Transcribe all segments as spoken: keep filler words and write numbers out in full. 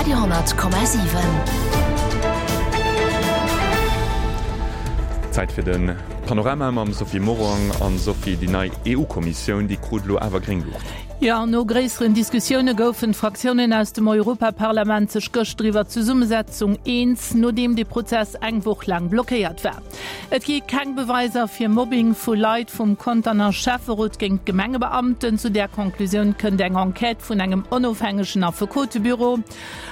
Radio honnert Komma siwen. Zäit fir de Panorama mam Sophie Morang. An Sophie, déi nei EU-Kommissioun, déi krut elo awer gréng Luucht. Jo, no gréisseren Diskussioune goufen d'Fraktiounen aus dem Europaparlament sech gëschter iwwer d'Zesummesetzung eens, nodeem de Prozess eng Woch laang blockéiert war. Et gi keng Beweiser fir Mobbing vu Leit vum Conterner Schäfferot géint Gemengebeamten. Zu där Conclusioun kënnt eng Enquête vun engem onofhängegen Affekotebüro.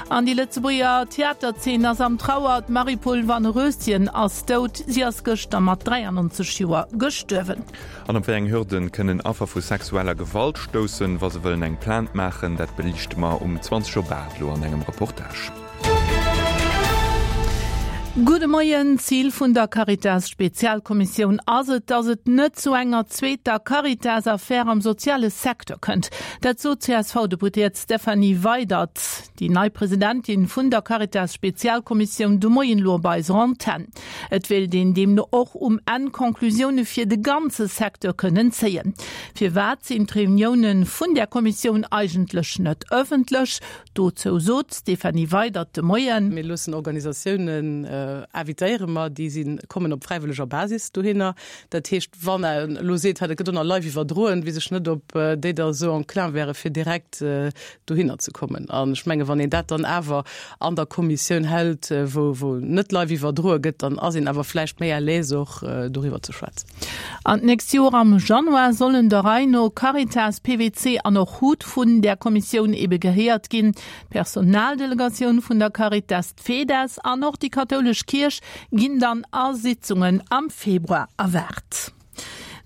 An déi Lëtzebuerger Theaterzeen ass am Trauer, D'Marie-Paule Vanneröschen ass dout. Si ass gëschter mat dräiannonzeg Joer gestuerwen. An op wéi eng Hürden kënnen Affer vu sexueller Gewalt stoussen, wa se wëllen eng Plainte maachen? Dat beliichte mer um zwanzeg op aacht elo an engem Reportage. Gudde Moien. Zil vun der Caritas-Spezialkommissioun ass et, datt et net zu enger zweeter Caritas-Affär am soziale Secteur kënnt. Dat sot d'C S V-Deputéiert Stéphanie Weydert, déi nei Presidentin vun der Caritas-Spezialkommissioun, de Moien elo op eiser Antenn. Et wéilt een deemno och um Enn Conclusioune fir de ganze Secteur kënnen zéien. Firwat sinn d'Reunioune vun där Kommissioun eigentlech net ëffentlech? Dozou sot d'Stéphanie Weydert de Moien. Mir loossen Organisatiounen invitéiere mer, déi si kommen op fräiwëlleger Basis dohinner. Dat heescht, wann een elo seet, dat gëtt och nach live iwwerdroen, weess ech net, ob déi da esou enclin wäre fir direkt dohinner ze kommen. An ech menge wann een dat dann awer an der Kommissioun hält, wou wou net live iwwerdroe gëtt, dann ass een awer vläicht méi à l'aise och doriwwer ze schwätzen. An d'nächst Joer am Januar sollen der Rei no Caritas, P W C an och HUT vun där Kommissioun ebe gehéiert ginn. D'Personaldelegatioun vun der Caritas, d'FEDES an och déi kathoulesch Kierch ginn dann a Sitzungen am Februar erwaart.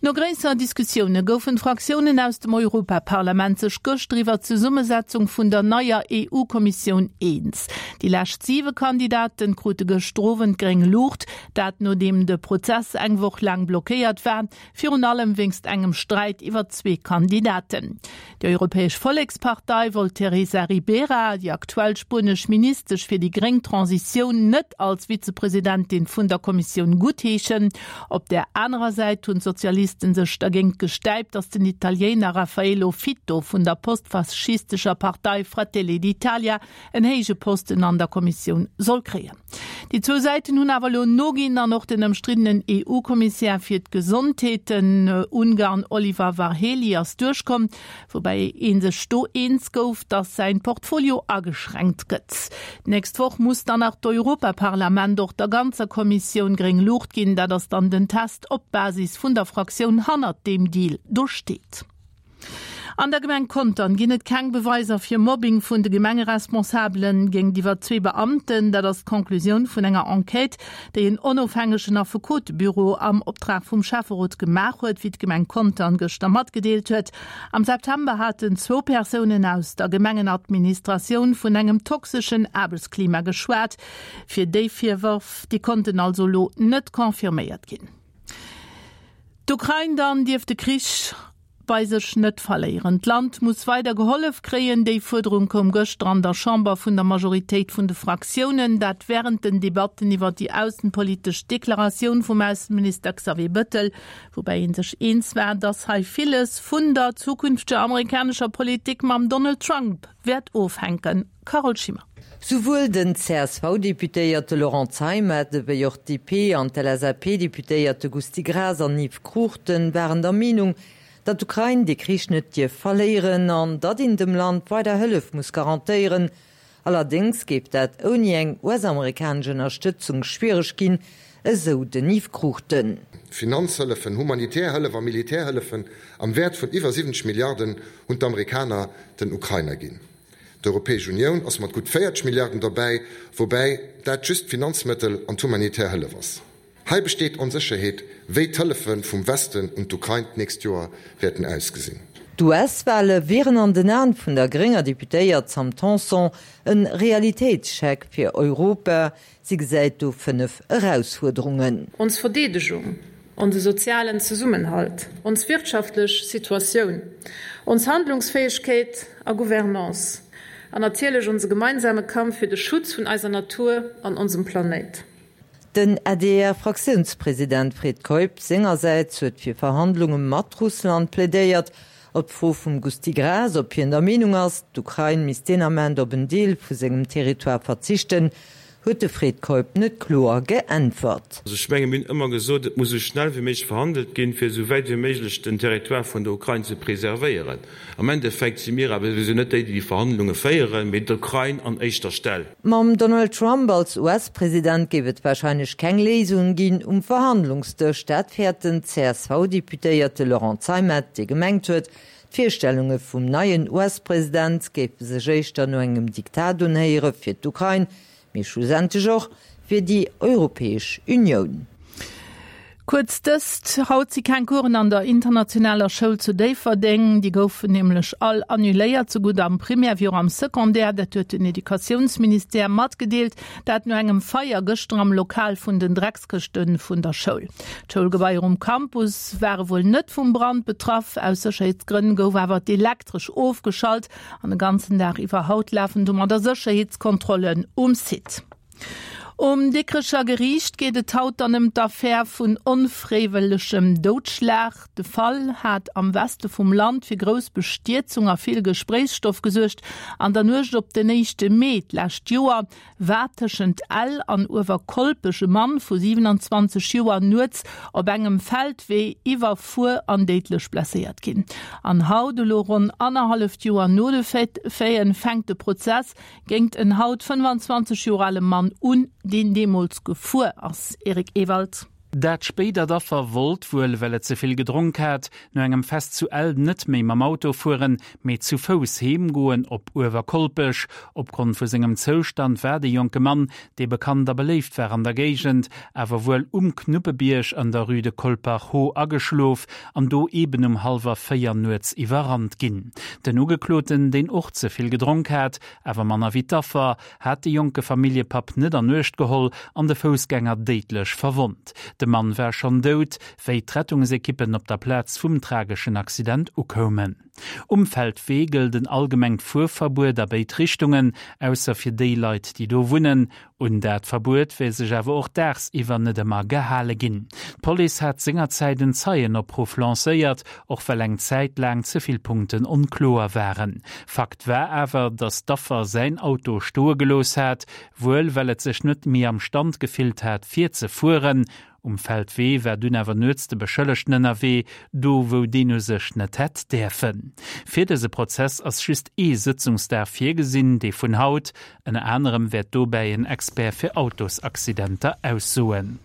No gréisser Diskussioune goufen d'Fraktiounen aus dem Europaparlament sech gëschter iwwer d'Zesummesetzung vun der neier E U-Kommissioun eens. Déi lescht siwe Kandidaten krute gëschter Owend gréng Luucht, dat nodeem de Prozess eng Woch laang blockéiert war, virun allem wéinst engem Sträit iwwer zwee Kandidaten. Déi Europäesch Vollekspartei wollt d'Teresa Ribera, déi aktuell spuenesch Ministesch fir déi gréng Transitioun, net als Vizepresidentin vun der Kommissioun guttheeschen. Op där anerer Säit hunn d'Sozialisten sech dergéint gestäipt, datt den Italiener Raffaello Fitto vun der postfaschistescher Partei Fratelli d'Italia en héije Posten an der Kommissioun soll kréien. Déi zwou Säiten hunn awer elo noginn an och den ëmstriddenen E U-Kommissär fir d'Gesondheet, den Ungarn Oliver Varhelyi, ass duerchkomm, woubäi ee sech do eens gouf, datt säin Portfolio ageschränkt gëtt. D'nächst Woch muss dann nach d'Europaparlament och der ganzer Kommissioun gréng Luucht ginn. Dat ass dann den Test, ob d'Basis vun der Fraktioun hannert deem Deal do steet. An der Gemeng Contern ginn et keng Beweiser fir Mobbing vun de Gemengeresponsabelen géintiwwer zwee Beamten. Dat ass d'Conclusioun vun enger Enquête, déi en onofhängegen Affekotebüro am Optrag vum Schäfferot gemaach huet, wéi d'Gemeng Contern gëschter matgedeelt huet. Am September haten zwou Persounen aus der Gemengenadministratioun vun engem toxeschen Aarbechtsklima geschwat. Fir déi Virwërf, déi konnten also elo net confirméiert ginn. D'Ukrain dann dierf de Krich bei sech net verléieren. D'Land muss weider gehollef kréien. Déi Fuerderung koum gëschter an der Chamber vun der Majoritéit vun de Fraktiounen, dat wärend den Debatten iwwer déi aussenpolitesch Deklaratioun vum Ausseminister Xavier Bettel, woubäi ee sech eens war, datt hei villes vun der zukünfteger amerikanescher Politik mam Donald Trump wäert ofhänken. Carole Schimmer. Souwuel den C S V-Deputéierte Laurent Zeimet ewéi och d'D P an d'L S A P-Deputéierte Gusty Graas an Yves Cruchten waren der Meenung, datt d'Ukrain de Krich net dierf verléieren an datt een dem Land weider Hëllef muss garantéieren. Allerdéngs géif dat ouni eng U S-amerikanesch Ënnerstëtzung schwiereg ginn, esou den Yves Cruchten. Finanzhëllefen, humanitär Hëllef a Militärhëllefen am Wäert vun iwwer siwwenzeg Milliarden hunn d'Amerikaner den Ukrainer ginn. D'Europäesch Unioun ass mat gutt véierzeg Milliarden derbäi, woubäi dat just d'Finanzmëttel an d'humanitär Hëllef ass. Hei besteet Onsécherheet, wéi d'Hëllefe vum Westen un d'Ukrain d'nächst Joer wäerten ausgesinn. D'U S-Wale wieren an den Aen vun der grénger Deputéiert Sam Tanson e Realitéitscheck fir Europa. Si gesäit do fënnef Erausfuerderungen. Ons Verdeedegung, onse sozialen Zesummenhalt, ons wirtschaftlech Situatioun, ons Handlungsfäegkeet a Gouvernance an natierlech onse gemeinsame Kampf fir de Schutz vun eiser Natur an onsem Planéit. Den A D R-Fraktiounspresident Fred Keup sengersäits huet fir Verhandlunge mat Russland plädéiert Op d'Fro vum Gusty Graas, ob hien der Meenung ass, d'Ukrain misst deen Ament op en Deel vu sengem Territoire verzichten, huet de Fred Keup net kloer geäntwert. Also ech menge mir hunn ëmmer gesot, et muss esou schnell wéi méiglech verhandelt ginn, fir esou wäit wéi méiglech den Territoire vun der Ukrain ze preservéieren. Am Endeffekt si mir awer souwisou net déi, déi déi Verhandlunge féieren, mee d'Ukrain an éischter Stell. Mam Donald Trump als US-President géif et warscheinlech keng Léisung ginn um Verhandlungsdësch. Dat fäert den CSV-Deputéierte Laurent Zeimet, dee gemengt huet, d'Virstellunge vum neien US-President géife sech éischter no engem Diktat unhéiere fir d'Ukrain, mee schlussendlech och fir déi Europäesch Unioun. Kuerz dëst, Haut si keng Coursen an der internationaler Schoul zu Déifferdeng. Déi goufen nämlech all annuléiert, sougutt am Primaire wéi och am Secondaire. Dat huet den Educatiounsministère matgedeelt. Dat no engem Feier gëschter am Lokal vun den Dreckskëschte vun der Schoul. D'Schoulgebaier um Campus ware wuel net vum Brand betraff. Aus Sécherheetsgrënn gouf awer d'Elektresch ofgeschalt an de ganzen Dag iwwer haut lafen domadder Sécherheetskontrollen um Site. Um Dikrecher Geriicht geet et haut dann ëm d'Affär vun onfräiwëllegem Doudschlag. De Fall hat am Weste vum Land fir grouss Bestierzung a vill Gespréichsstoff gesuergt. An der Nuecht op den éischte Mee d'lescht Joer war tëschent Ell an Uewerkolpech e Mann vu siwenanzwanzeg Joer nuets op engem Feldwee iwwerfuer an déidlech blesséiert ginn. An haut, elo ronn annerhalleft Joer no de Faiten, fänkt de Prozess géingt en haut fënnefanzwanzeg Joer ale Mann un, deen deemools gefuer ass. Eric Ewald. Dat spéidert Affer wollt, wuel well et ze vill gedronk hat, no engem Fest zu Ell net méi mam Auto fueren, mee zu Fouss heem goen op Uewerkolpech. Opgrond vu sengem Zoustand war de jonke Mann, dee bekannt a beléift war an der Géigend, awer wuel um Knuppebierg an der Rue de Colpach-Haut ageschlof an do eben um hallwer véier nuets iwwerrannt ginn. Den Ugekloten, deen och ze vill gedronk hat, awer manner wéi d'Affer, hat de jonke Familljepapp net an Uecht geholl an de Foussgänger déidlech verwonnt. De Mann war schonn dout, wéi d'Rettungsekippen op der Plaz vum trageschen Accident ukoumen. Um Feldwee gëllt en allgemengt Fuerverbuet a béid Richtungen, ausser fir déi Leit, déi do wunnen. Un dat Verbuet wär sech awer och daagsiwwer net ëmmer gehale ginn. D'Police hat sengerzäit en Zeienopruff lancéiert, och well eng Zäit laang ze vill Punkten onkloer waren. Fakt war awer, datt d'Affer säin Auto stoe gelooss hat, wuel well et sech net méi am Stand gefillt hat fir ze fueren. Um Feldwee war dunn awer nuets de Beschëllegten ënnerwee, do wou deen u sech net hätt däerfen. Fir dëse Prozess ass just ee Sëtzungsdag virgesinn, dee vun haut. Ënner anerem wäert dobäi en Expert fir Autosaccidenter aussoen.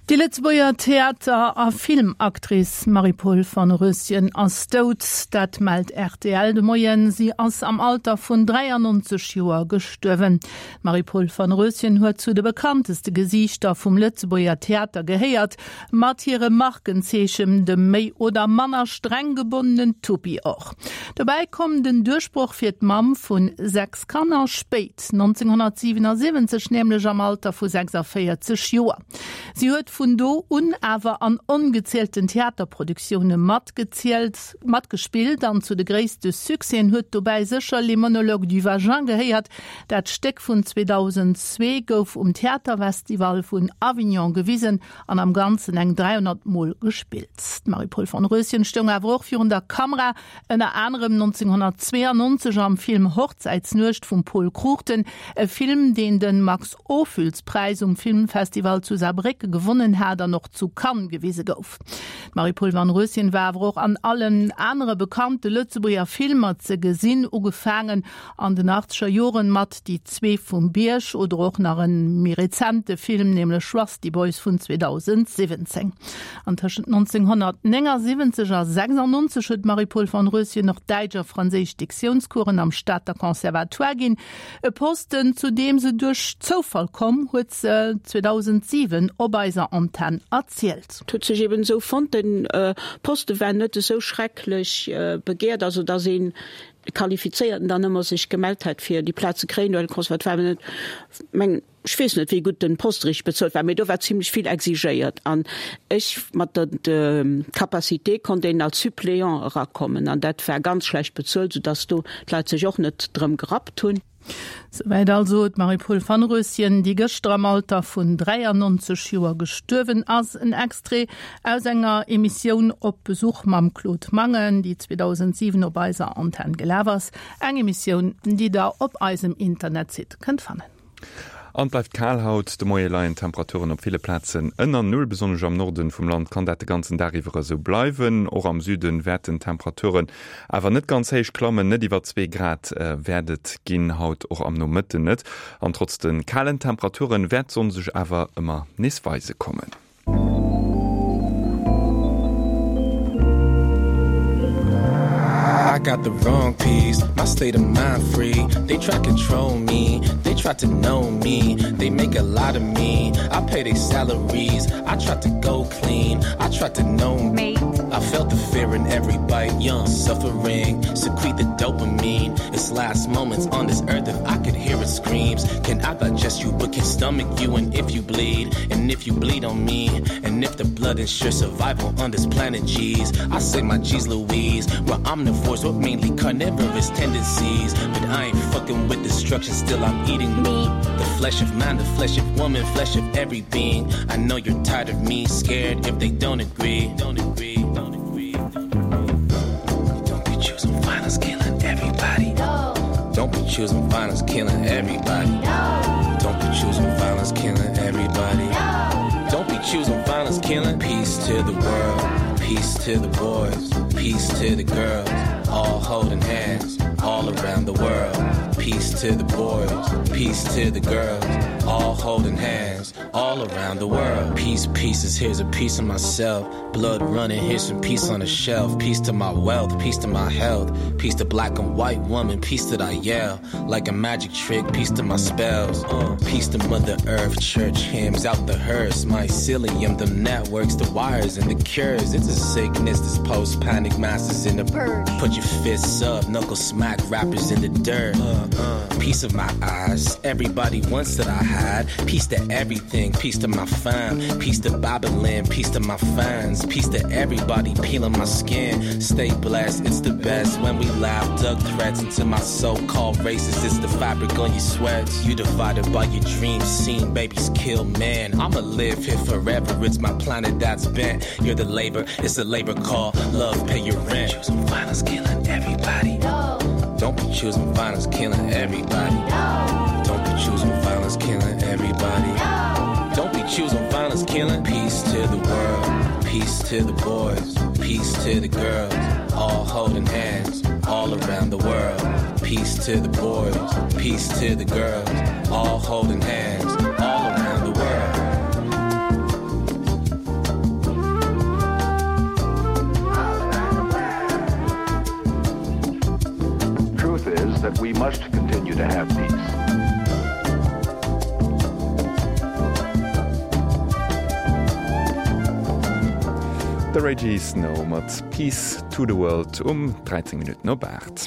Déi Lëtzebuerger Theater a Filmactrice Marie-Paule Vanröschen ass dout, dat mellt rtl de Moien. Si ass am Alter vun dräiannonzeg Joer gestuerwen. D'Marie-Paule Vanröschen huet zu de bekannteste Gesiichter vum Lëtzebuerger Theater gehéiert, mat hirem Markenzeechen, dem méi oder manner streng gebonnenen Tuppi och. Dobäi koum den Duerchbroch fir d'Mamm vu sechs Kanner spéit, nonzénghonnertsiwenasiwwenzeg nämlech am Alter vu sechsundvéierzeg Joer. Si huet vun do un awer an ongezielten Theaterproduktioune matgezielt, matgespillt an zu de gréisste Succèsen huet dobäi sécher Les monologues du vagin gehéiert. Dat Stéck vun zweedausendzwee gouf um Theaterfestival vun Avignon gewisen an am Ganzen eng dräihonnert Mol gespillt. D'Marie-Paule von Röschen stoung awer och virun der Kamera, ënner anerem nonzénghonnertzweeannonzeg am Film Hochzäitsnuecht vum Pol Cruchten, e Film, deen de Max-Ophüls-Präis um Filmfestival zu Saarbrécken gewonnen hat an och zu Cannes gewise gouf. D'Marie-Paule Vanröschen war awer och an allen anere bekannte Lëtzebuerger Filmer ze gesinn, ugefaangen an den achtzeger Joren mat Déi Zwee vum Bierg oder och nach e méi rezente Film, nämlech Rusty Boys vun zweedausendsiwwenzéng. An tëschent nonzénghonnertnéngasiwwenzeg a sechsundnonzeg huet d'Marie-Paule Vanröschen och Däitsch a Franséisch Diktiounscoursen am Stater Conservatoire ginn. E Posten, zu deem se duerch Zoufall komm, huet se zweedausentsiwen op eiser Antenn erzielt. Et huet sech eben esou fonnt, den Poste war net esou schrecklech begehrt, also datt een Qualifizéierten dann ëmmer sech gemellt hätt fir déi Plaz ze kréien, well de Conservatoire war net, mengen, ech weess net wéi gutt den Poste richteg bezuelt war, mee do war zimlech vill exigéiert an ech mat der Capacité konnt een als Suppléant erakommen an dat war ganz schlecht bezuelt, soudass do d'Leit sech och net drëm gerappt hunn. Souwäit also d'Marie-Paule Vanröschen, déi gëschter am Alter vun dräiannonzeg Joer gestuerwen ass. En Extrait aus enger Emissioun Op Besuch mam Claude Mangen, déi zweedausendsiwen op eiser Antenn gelaf ass. Eng Emissioun, déi der op eisem Internetsite kënnt fannen. An et bleift kal haut. De Moie leien d'Temperaturen op ville Plazen ënner Null. Besonnesch am Norden vum Land kann dat de ganzen Dag iwwer esou bleiwen. Och am Süden wäerten d'Temperaturen awer net ganz héich klammen, net iwwer zwee Grad wäert et ginn haut, och am Nomëtten net. An trotz de kalen Temperaturen wäert d'Sonn sech awer ëmmer nees weise kommen. I got the wrong piece, my state of mind free. They try control me, they try to know me. They make a lot of me, I pay their salaries. I try to go clean, I try to know me. I felt the fear in every bite, young suffering. Secrete the dopamine, it's last moments on this earth. If I could hear it screams, can I digest you but can stomach you? And if you bleed, and if you bleed on me, and if the blood ensures survival on this planet, G's. I say my G's Louise, well omnivores with mainly carnivorous tendencies. But I ain't fucking with destruction, still I'm eating meat. The flesh of man, the flesh of woman, flesh of every being. I know you're tired of me, scared if they don't agree. Don't agree, don't agree. Don't be choosing violence, killing everybody. Don't be choosing violence, killing everybody. Don't be choosing violence, killing everybody. Don't be choosing violence, killing. Peace to the world, peace to the boys, peace to the girls, all holding hands, all around the world. Peace to the boys, peace to the girls, all holding hands, all around the world. Peace, pieces, here's a piece of myself. Blood running, here's some peace on the shelf. Peace to my wealth, peace to my health. Peace to black and white woman, peace that I yell. Like a magic trick, peace to my spells. Uh, peace to Mother Earth, church hymns out the hearse. Mycelium, the networks, the wires and the cures. It's a sickness, this post-panic masses in the purge. Put your fists up, knuckle smack rappers in the dirt. Uh, uh. Peace of my eyes, everybody wants that I had. Peace to everything, peace to my fam. Peace to Babylon, peace to my fans. Peace to everybody peeling my skin. Stay blessed, it's the best when we laugh. Dug threats into my so-called racist. It's the fabric on your sweats. You divided by your dreams, seen babies kill men. I'ma live here forever, it's my planet that's bent. You're the labor, it's a labor call. Love, pay your rent. Choosing violence, killing everybody. Don't be choosing violence, killing everybody. Don't be choosing violence, killing everybody. Don't be choosing violence, killing. Peace to the world, peace to the boys, peace to the girls, all holding hands, all around the world. Peace to the boys, peace to the girls, all holding hands, all around the world. Truth is that we must continue to have peace. De Regi Snow mat Peace to the World um dräizéng Minutten op aacht.